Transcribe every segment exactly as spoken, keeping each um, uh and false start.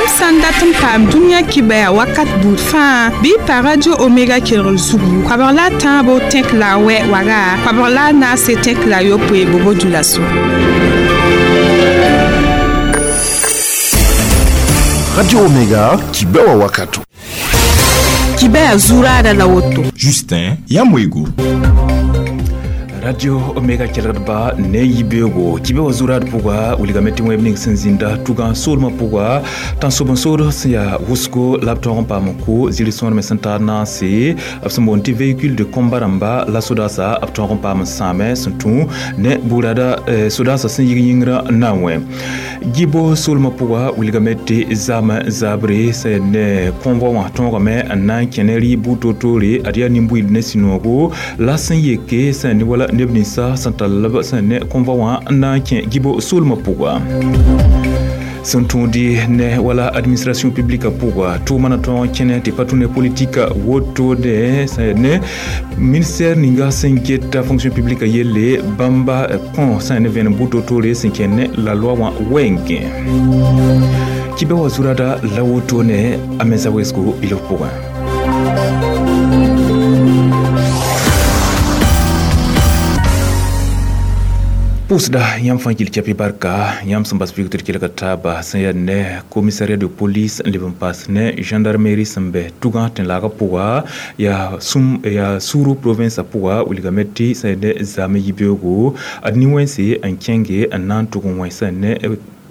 Yãmb sã n dat n paam dũniyã kibaya wakat buud fãa bɩ y pa Radio Omega kelgr zugu koabg la a tãabo tẽk la a wɛ waga koabg la a naase tẽk la a yopoe bobo dulaso. Radio Omega kibewa wakato. Kibaya zurada la woto. Justin Yamwego. Radio Omega kelgdba ne yibeogo kibe wa zurad pʋga wilgame tɩ wẽb ning sẽn zĩnda tugã soolmã pʋga tãnsob n sood sẽn yaa wʋsgo la b tõog n paam n kʋ ziri sõorme sẽn taar naase b sẽn boond tɩ véhicule de combat rãmba la sodaasa b tõog n paam n sãame sẽn tũ ne buurada sodaasã sẽn yig yĩngrã n na n wẽ gibo soolmã pʋga wilgame tɩ zam zabre sẽn ne convoi wã tõogame n na n kẽ ne rɩɩb buud toor-toore ad yaa nin-buiid ne sũ-noogo la sẽn yeke sẽn ne wala neb ninsã sẽn tall b sẽn ne convoi wã n na n kẽ gibo soolmã pʋga sẽn tũudi ne wala administration publique pʋga tʋʋma na tõog n kẽne tɩ pa tũ ne politique wotone sẽn ne ministère ninga sẽn geta fonction publique yelle bãmba kõ sẽn ne vẽenem buud toor-toore sẽn kẽn ne la loi wã wɛɛngẽ kibɛ wa zurada la wotone a mensa wesgo bilf pʋgẽ. Pʋʋsda yãmb fãa kɩl kɛpɩ barka yãmb sẽn bas vɩgtr kelga taaba sẽn yaa ne commissariat de police n leb n paas ne gendarmerie sẽn bɛ tugã tẽn-laagã pʋga yaa sũm yaa suru province pʋga wilgame tɩ sẽn ne zame yibeoogo ad nin-wẽnse n kẽnge n na n tʋg n wẽ sẽn ne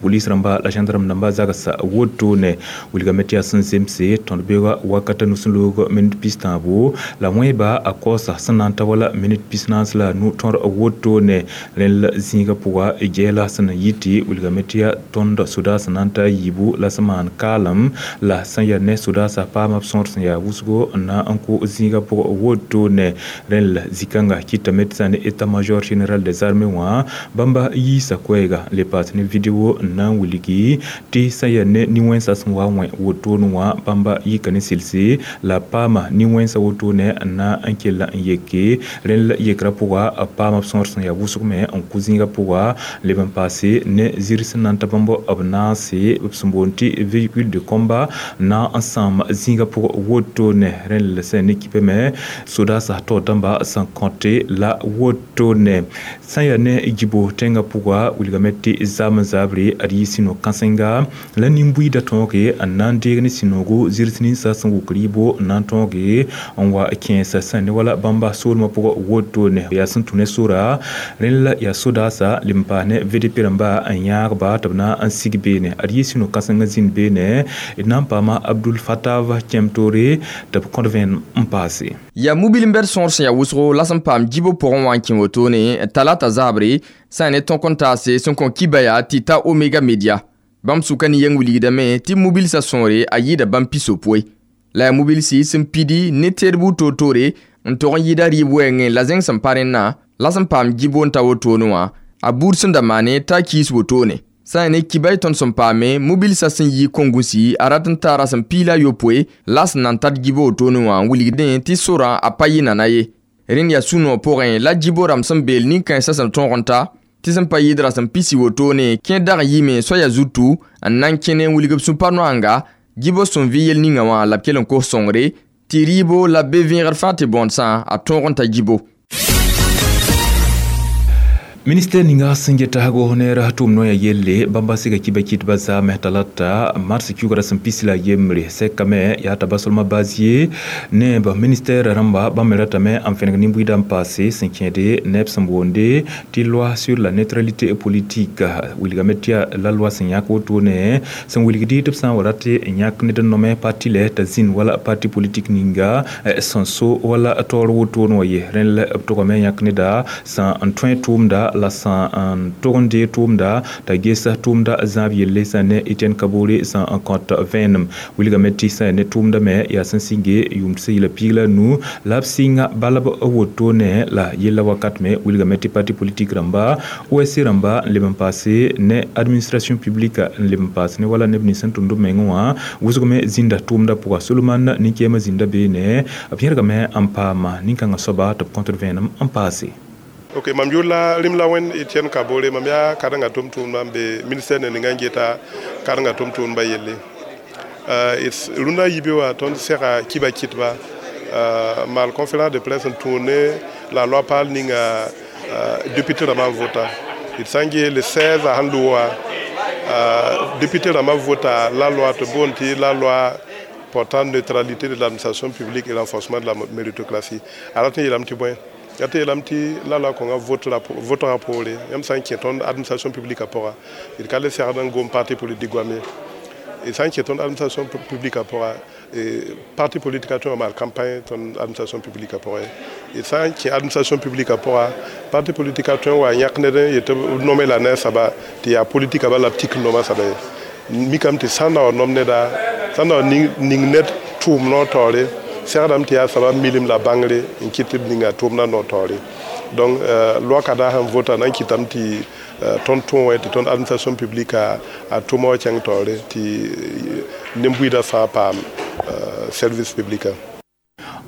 police rãmba la gendarme rãmba zagsa wotone wilgame tɩ yaa sẽn zemse tõnd beooga wakata nus-n-loog minit pis tãabo la wẽeba a kaoosa sẽn na n ta wala minit pis naas la a nu tõr wotone rẽnd la zĩigã pʋga gɛɛla sẽn na yɩ tɩ wilgame tɩ yaa tõnd sodaas sẽn na n ta a yiibu la sẽn maan kaalem la sẽn yaa ne sodaasã paama b sõor sẽn yaa wʋsgo n na n kʋ zĩigã pʋg wotone rẽnd la zĩ-kãnga kɩtame tɩ sã ne état major général des armées wã bãmba yiisa koɛɛga n le paas ne video n na n wilgi tɩ sẽn yaa ne nin-wẽnsã sẽn wa wẽ wotone wã bãmba yika ne selse la paama nin-wẽnsã wotone n na n kell n yeke rẽnd la yekrã pʋga b paama b sõor sẽn yaa wʋsg me n kʋ zĩigã pʋga leb n paase ne zir sẽn na n ta bãmb b naase b sẽn boond tɩ véhicule de combat na n sãam zĩigã pʋg wotone rẽnd la sẽn ne kipame sodaasã taoor dãmba sẽn kõte la wotone sẽn yaa ne gibo tẽngã pʋga wilgame tɩ zam zabre ad yɩ sũ-no-kãsenga la nin-buiidã tõoge n na n deeg ne sũ-noogo zɩrs ninsã sẽn wʋk rɩɩbo n na n tõoge n wa kẽesa sẽn ne wala bãmba soolmã pʋgã wotone yaa sẽn tũ ne sora rẽnd la yaa sodaasã leb n paas ne V D P rãmba n yãagba tɩ b na n sig beene ad yɩ sũ-no-kãsengã zĩnd beene d na n paama Abdul Fatav kẽem toore tɩ b kõt vẽenem n paase. Yaa mobil n bɛd sõor sẽn yaa wʋsgo la sẽn paam gibo pʋgẽ wã n kẽ wotone talata zabre sã ne tõk n taase sẽn kõ kibaya tɩ ta Omega Media bãmb sʋka ne yɛng wilgdame tɩ mobilsã sõore a yɩɩda bãmb pisopoe la yaa mobilsi sẽn pidi ne teed buud toor-toore n tog n yɩɩda rɩɩb wɛɛngẽ la zẽng sẽn pa rẽnna la sẽn paam gibo n ta wotone wã a buud sẽn da maane t'a kiis wotone sã n ne kibay tõnd sẽn paame mobilsã sẽn yi kongusi a rat n taara sẽn piila yopoe la sẽn na n tat gibo wotone wã n wilgdẽ tɩ sorã a pa yɩ nana ye rẽnd yaa sũ-noog pʋgẽ la gibo rãmb sẽn beel nin-kãensã sẽn tõog n ta tɩ sẽn pa yɩɩdra sẽn pisi wotone kẽ dag n yɩme soaya zutu n na n kẽne n wilg b sũ-pa-noanga gibo sẽn vɩ yel ninga wã la b kell n kos sõngre tɩ rɩɩbo la b be vẽegr fãa tɩ bõodsã a tõog n ta gibo. Ministère ninga sẽn get tagsgo neera tʋʋm noya yelle bãmba sɩga kiba kɩtba zaame talata mars kiugra sẽn pis la yembre sɛkame yaa t'a basolmã bazie ne ba ministère rãmba bãmb me ratame n fẽneg nin-buiidã n paase sẽn kẽede neb sẽn boonde tɩ loi sur la neutralité politique wilgame tɩ yaa la loi sẽn yãk wotone sẽn wilgdi tɩ b sã n wa rat n yãk ned n nome parti lɛ t'a zĩnd wala parti politique ninga sẽn so wala taoor wotone wã ye rẽnd la b tʋgame yãk neda sẽn n tõe tʋʋmda la sã n tog n dee tʋʋmda t'a gesa tʋʋmda zãab yelle sã ne Etienne Kabore sã n kõt vẽenem wilgame tɩ sã ne tʋʋmda me yaa sẽn sɩnge yʋʋm tɩ yɩla piig la nu la b sɩnga balb wotone la yella wakat me wilgame tɩ parti politique rãmba O S C rãmba n leb n paase ne administration publique n leb n paas ne wala neb nins sẽn tʋmd b mengẽ wã wʋsg me zĩnda tʋʋmda pʋga Solomon nin-kɛɛmã zĩnda beene b yẽrgame n paama nin-kãngã soaba tɩ b kõtd vẽenem n paase. Ok, mam yʋʋr la rĩm la Wẽnd Etienne Kabore, mam yaa karen-gã tʋm-tʋʋmdã n be ministère ne ninga n geta karen-gã tʋm-tʋʋmdbã yelle. Rũndã yibe wã tõnd sega kiba kɩtba maal conférence de presse n tũud ne la loi paal ninga député rãmbã n vota d sã n ges le seize a sẽn loa député rãmbã vota la loi tɩ boond tɩ la loi portant neutralité de l'administration publique et renforcement de la méritocratie. A rat n yeelame tɩ bõe yaa tɩ yeelame tɩ la loi kõnga votgã poore yãmb sã n kẽ tõnd administration publique pʋga d ka le segd n gom parti politique goam ye d sã n kẽ tõnd administration publique pʋga parti politique tõe n maal campagne tõnd administration publique pʋgẽ d sã n kẽ administration publique pʋga parti politique tõe n wa yãk ned n yet b nome la ne a soaba tɩ yaa politika bala b tik noma soaba ye mikame tɩ sã n na wa nom neda sã n na wa ning ned tʋʋm noor taoore segdame tɩ yaa soaba milim la bãngre n kɩt tɩ b ninga tʋʋmdã noor taoore donc loi kada sẽn vota na n kɩtame tɩ tõnd tõe tɩ tõnd administration publique a tʋma wa kẽng taoore tɩ nen-buiidã fãa paam service public.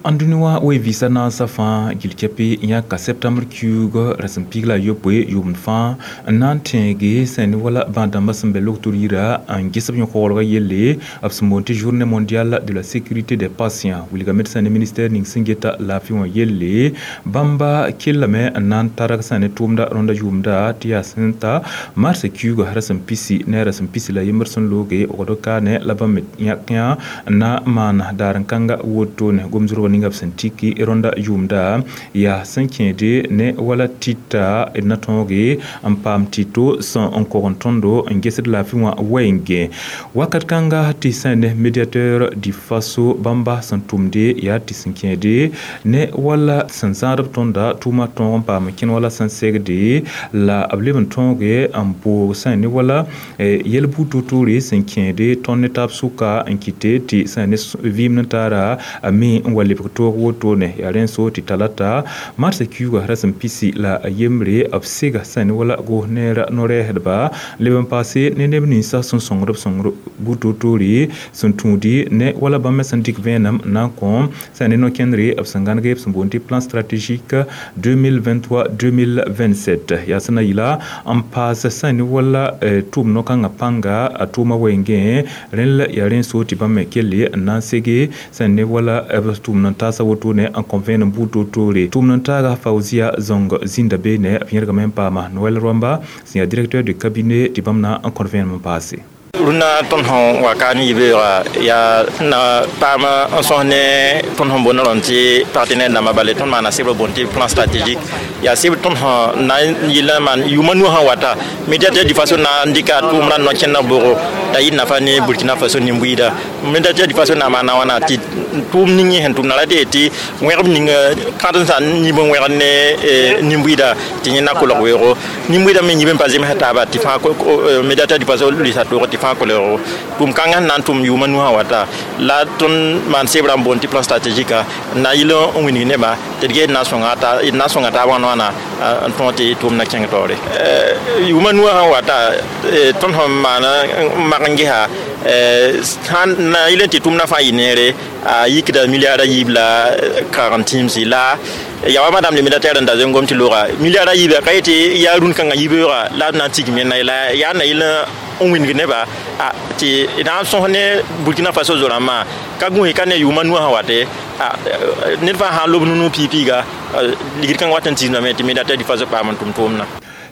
An dũni wã we vɩɩsa naasã fãa gil kɛpɩ yãka septembre kiuug rasem piig la a yopoe yʋʋmd fãa n na n tẽege sẽn ne wala bãad-dãmbã sẽn be logtr yira n ges b yõ-koglgã yelle b sẽn boond tɩ journée mondiale de la sécurité des patients wilgame tɩ sã ne ministère ning sẽn geta laafɩ wã yelle bãmba kellame n na n targ sã ne tʋʋmda rõnda yʋʋmda tɩ yaa sẽn ta mars kiuugã rasem pisi ne rasem pisi la yembr sẽn looge wagd kaane la bãmb me yãk yã n na n maan daar n kãnga wotone gom-zʋrg ninga b sẽn tiki rõnda yʋʋmda yaa sẽn kẽede ne wala tɩta d na tõoge n paam tɩto sẽn n kog n tõndo n gesd laafɩ wã wɛɛngẽ wakat kãnga tɩ sã ne médiateur du Faso bãmba sẽn tʋmde yaa tɩ sẽn kẽede ne wala sẽn zãadb tõnda tʋʋma tõog n paam n kẽn wala sẽn segde la b leb n tõoge n boog sã ne wala yel-buud to-toore sẽn kẽede tõnd ne taab sʋka n kɩte tɩ sã ne vɩɩm ne taara a me n wa lebg toog wotone yaa rẽn so tɩ talata marsã kiuugã rasem pisi la a yembre b sega sã ne wala gos neera no-rɛɛsdba leb n paase ne neb ninsã sẽn sõngd b sõngr buud to-toore sẽn tũudi ne wala bãmb me sẽn dɩk vẽenem n na n kõ sã ne no-kẽndre b sẽn gãnege b sẽn boond tɩ plan stratégique deux mille vingt-trois deux mille vingt-sept yaa sẽn na yɩla n paas sã ne wala tʋʋm no-kãngã pãnga a tʋʋma wɛɛngẽ rẽnd la yaa rẽn so tɩ bãmb me kelle n na n sege sã ne wala b tʋʋm n taasa wotone n kõ vẽenem buud to-toore tʋʋm n taaga Faouzia Zong zĩnda beene b yẽrgame n paama Noël Rwamba sẽn yaa directeur de cabinet tɩ bãmb na n kõt vẽenem n paase. Rũndã tõnd sẽn wa ka ne yibeoogã yaa na paam n sõs ne tõnd sẽn boond rõnd tɩ partenaire dãmbã bale tõnd maana sebr boond tɩ plan stratégique yaa sebr tõnd sẽn na n yɩl n maan yʋʋmã nu sẽn wata médiateur du Faso na n dɩka tʋʋmdã no-kẽndã bʋgo t'a yɩ nafa ne Burkina Faso nin-buiida médiateur du Faso na maana wãna tɩ tʋʋm ning yẽ sẽn tʋmda ra tɩ tɩ wẽgb ning kãdensã n yib n wẽgd ne nin-buiida tɩ yẽ na kolg weoogo nin-buiidã me yib n pa zemsa taaba tɩ fãa médiateur du Faso lʋɩsa toog tɩ fãa kolego tʋʋm kãngã sẽn na n tʋm yʋʋmã nu sã wata la tõnd maan sebrã n boond tɩ plan stratégique n na n yɩl n wilg nebã tɩ d ges d na n sõnga taab wãn wãna n tõog tɩ tʋʋmdã kẽng taoore yʋʋmã nuwã sã wata tõnd sẽn maan n mak n gesa sãn na yɩl n tɩ tʋʋmdã fãa yɩ neere a yikda milliard a yiib la kagem tĩimsi la ya wa madame le médiateur n da zengom tɩ looga milliard a yiiba ka yetɩ yaa rũn-kãngã yibeoogã la b na n tigm yẽnda la yaa na yɩl n wĩndg nebã tɩ na n sõs ne Burkina Faso zo-rãmbã ka gũus ka ne yʋʋmã nuwã sã wate ned fãa sã n lob nu piig-piiga ligd kãngã wat n tiisdame tɩ médiateur du Faso paam n tʋm tʋʋmdã.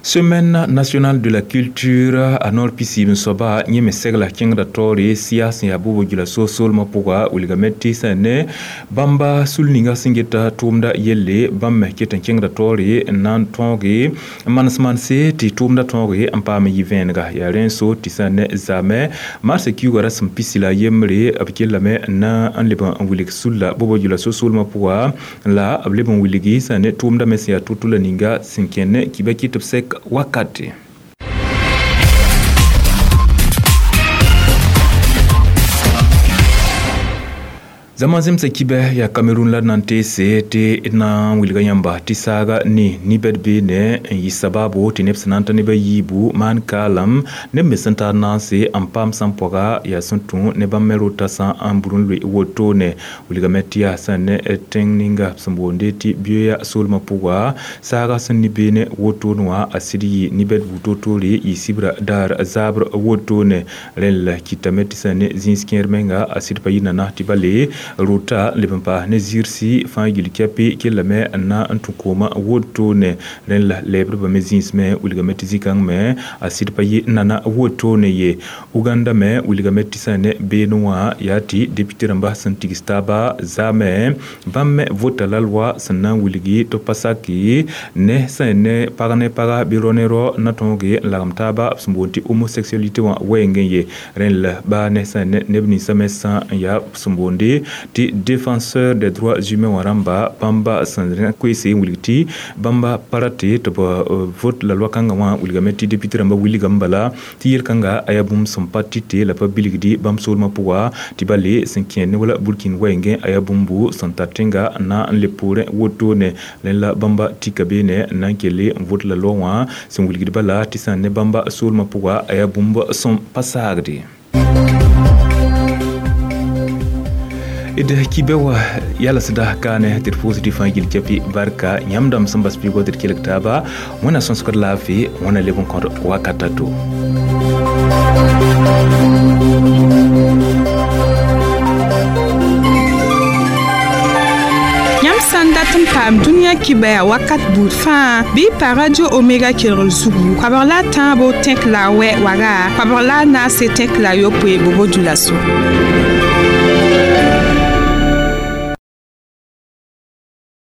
Semaine nationale de la culture a noor pisiib n soaba yẽ me segla kẽngda taoore sɩya sẽn yaa bʋbo gila soolmã pʋga wilgame tɩ sã ne bãmba sul ninga sẽn geta tʋʋmda yelle bãmb me ket n kẽngda taoore n na n tõoge n manes manse tɩ tʋʋmda tõoge n paam n yɩ vẽenega yaa rẽn so tɩ sã ne zaamɛ marsã kiuugã rasem pisi la yembre b kellame n na n leb n wilg sulla bʋbo gila soolmã pʋga la b leb n wilgi sã ne tʋʋmda me sẽn yaa to-to la ninga sẽn kẽnd ne kɩba kɩ tɩ b sek wakati. Zãma zemsa kibɛ yaa Cameroun la nan teese tɩ d na n wilga yãmba tɩ saaga ne nibɛd beene n yɩ sabaabo tɩ neb sẽn na n ta neb a yiibu maan kaalam neb me sẽn tar naanse n paam sẽn pɔga yaa sẽn tũ ne bãmb me rota sã n bur n loe wotone. Wilgame tɩ yaa sẽn ne tẽng ninga sẽn boonde tɩ Bioya soolmã pʋga saaga sẽn ne beene wotone wã a sɩd yɩ nibɛd buud toor-toore yɩ sibra daar zaabr wotone. Rẽnd la kɩtame tɩ sẽn ne zĩis kẽer menga a sɩd pa yɩ nana tɩ ba le rota leb n paas ne zɩɩrsi fãa gill kɛpɩ kellame n na n tũ koomã wotone. Rẽnd la lɛɛbdbã me zĩis me wilgame tɩ zĩ-kãng me a sɩd pa yɩ nana wotone ye. Uganda me wilgame tɩ sẽn ne beene wã yaa tɩ député rãmba sẽn tigs taaba zaame bãmb me vota la loi sẽn na n wilgi tɩ pa saki ne sẽn ne pag ne paga bɩ rao ne rao na tõoge n lagem taaba b sẽn boond tɩ homosexualité wã wɛɛngẽ ye. Rẽnd la baa ne sẽn ne neb ninsã me sã n yaa sẽn boonde tɩ défenseur des droits humains wã rãmba bãmba sẽn koeese n wilg tɩ bãmba pa rate tɩ b vote la loi kãngã wã wilgame tɩ député rãmba wilgame bala tɩ yel-kãnga a yaa bũmb sẽn pa tɩte la pa bilgdi bãmb soolmã pʋga tɩ ba le sẽn kẽer ne wala burkin wɛɛngẽ a yaa bũmbu sẽn tar tẽnga n na n le poorẽ wotone. Rẽnd la bãmba tika beene n na n kelle n vote la loi wã sẽn wilgd bala tɩ sã ne bãmba soolmã pʋga a yaa bũmb sẽn pa saagde. D kibɛ wa yalsda kaane tɩ d pʋʋsd fãa gill kɛpɩ barka yãmb dãmb sẽn bas pɩɩgɔ tɩ d kelg taaba wẽna sõsgd laafɩ wẽna leb n kõd wakata to. Yãmb sã n dat n paam dũniyã kibɛya wakat buud fãa bɩ pa Radio Omega kelgr zugu koabg la a tãabo tẽk la a wɛ waga koabg la a naase tẽk la a yopoe bobo dulaso.